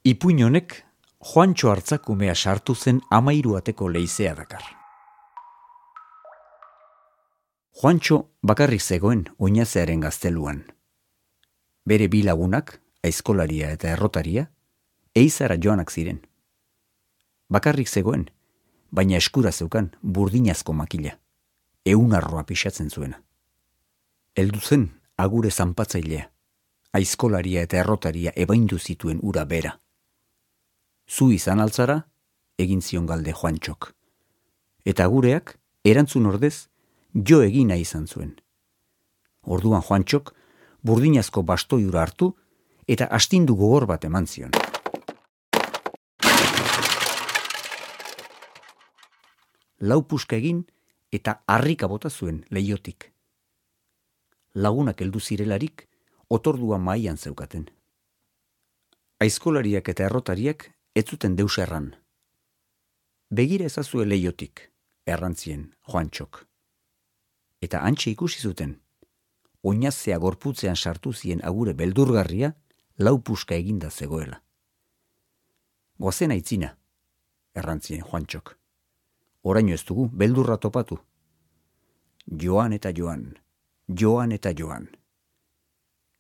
Ipuin honek Juantxo Artzakumea sartu zen 13 ateko leizea dakar. Juantxo bakarrik zegoen oinazearen gazteluan. Bere bi lagunak, aizkolaria eta errotaria, eizara joanak ziren. Bakarrik zegoen, baina eskura zeukan burdinazko makila, 100 arroa pixatzen zuena. Heldu zen agure zanpatzailea, aizkolaria eta errotaria ebaindu zituen ura bera. Zu izan altzara, egin zion galde Juantxok. Eta agureak, erantzun ordez, jo egina izan zuen. Orduan Juantxok, burdinazko bastoiura hartu, eta astindu gogor bat eman zion. Lau puska egin, eta harrika bota zuen leihotik. Lagunak heldu zirelarik, otordua mahaian zeukaten. Aizkolariak eta errotariak ez zuten deus erran. Begira ezazue leihotik, errantzien Juantxok. Eta hantxe ikusi zuten, oinazea gorputzean sartu zien agure beldurgarria, lau puska eginda zegoela. Goazen aitzina, errantzien Juantxok. Oraino ez dugu beldurra topatu. Joan eta joan, joan eta joan.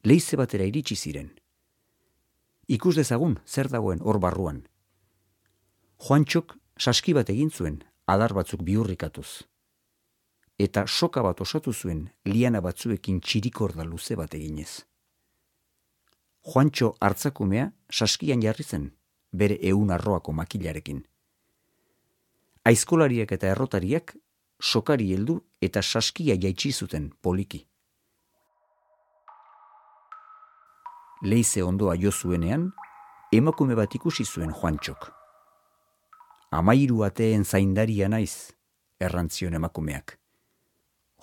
Leize batera iritsi ziren. Ikus dezagun zer dagoen hor barruan. Juantxok saski bat egin zuen, adar batzuk bihurrikatuz. Eta soka bat osatu zuen liana batzuekin txirikorda luze bat eginez. Juantxo Artzakumea saskian jarri zen, bere 100 arroako makilarekin. Aizkolariak eta errotariak sokari heldu eta saskia jaitsi zuten poliki. Leize ondoa jo zuenean, emakume bat ikusi zuen Juantxok. 13 ateen zaindaria naiz, errantzion emakumeak.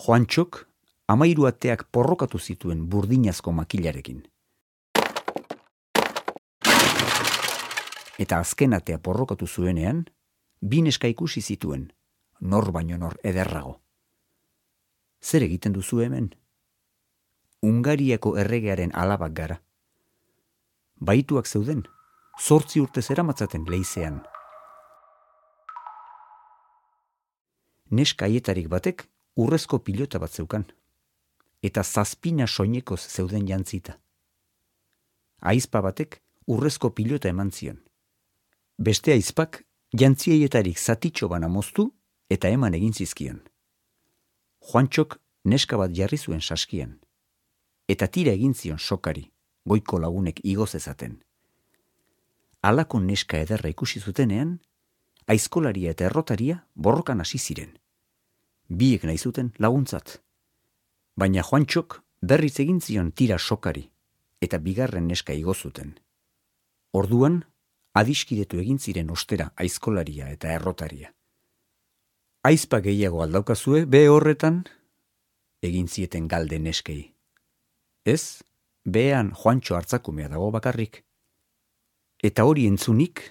Juantxok 13 ateak porrokatu zituen burdinazko makilarekin. Eta azken atea porrokatu zuenean, 2 neska ikusi zituen, nor baino nor ederrago. Zer egiten duzu hemen? Hungariako erregearen alabak gara. Baituak zeuden, 8 urte zeramatzaten leizean. Neska haietarik batek urrezko pilota bat zeukan, eta 7 soinekoz zeuden jantzita. Aizpa batek urrezko pilota eman zion. Beste aizpak jantzieetarik zatitxo bana moztu eta eman egin zizkion. Juantxok neska bat jarri zuen saskian, eta tira egin zion sokari, goiko lagunek igoz ezaten. Halako neska ederra ikusi zutenean, aizkolaria eta errotaria borrokan hasi ziren. Biek nahi zuten laguntzat. Baina Juantxok berriz egin zion tira sokari, eta bigarren neska igo zuten. Orduan, adiskidetu egin ziren ostera aizkolaria eta errotaria. Aizpa gehiago aldaukazue, be horretan, egin zieten galde neskei. Ez, behean Juantxo Artzakumea dago bakarrik. Eta hori entzunik,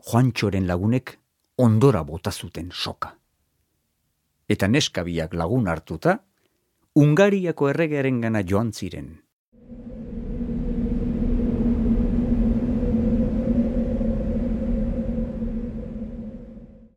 Juantxoren lagunek ondora bota zuten soka. Eta neska biak lagun hartuta, Hungariako erregearengana joan ziren.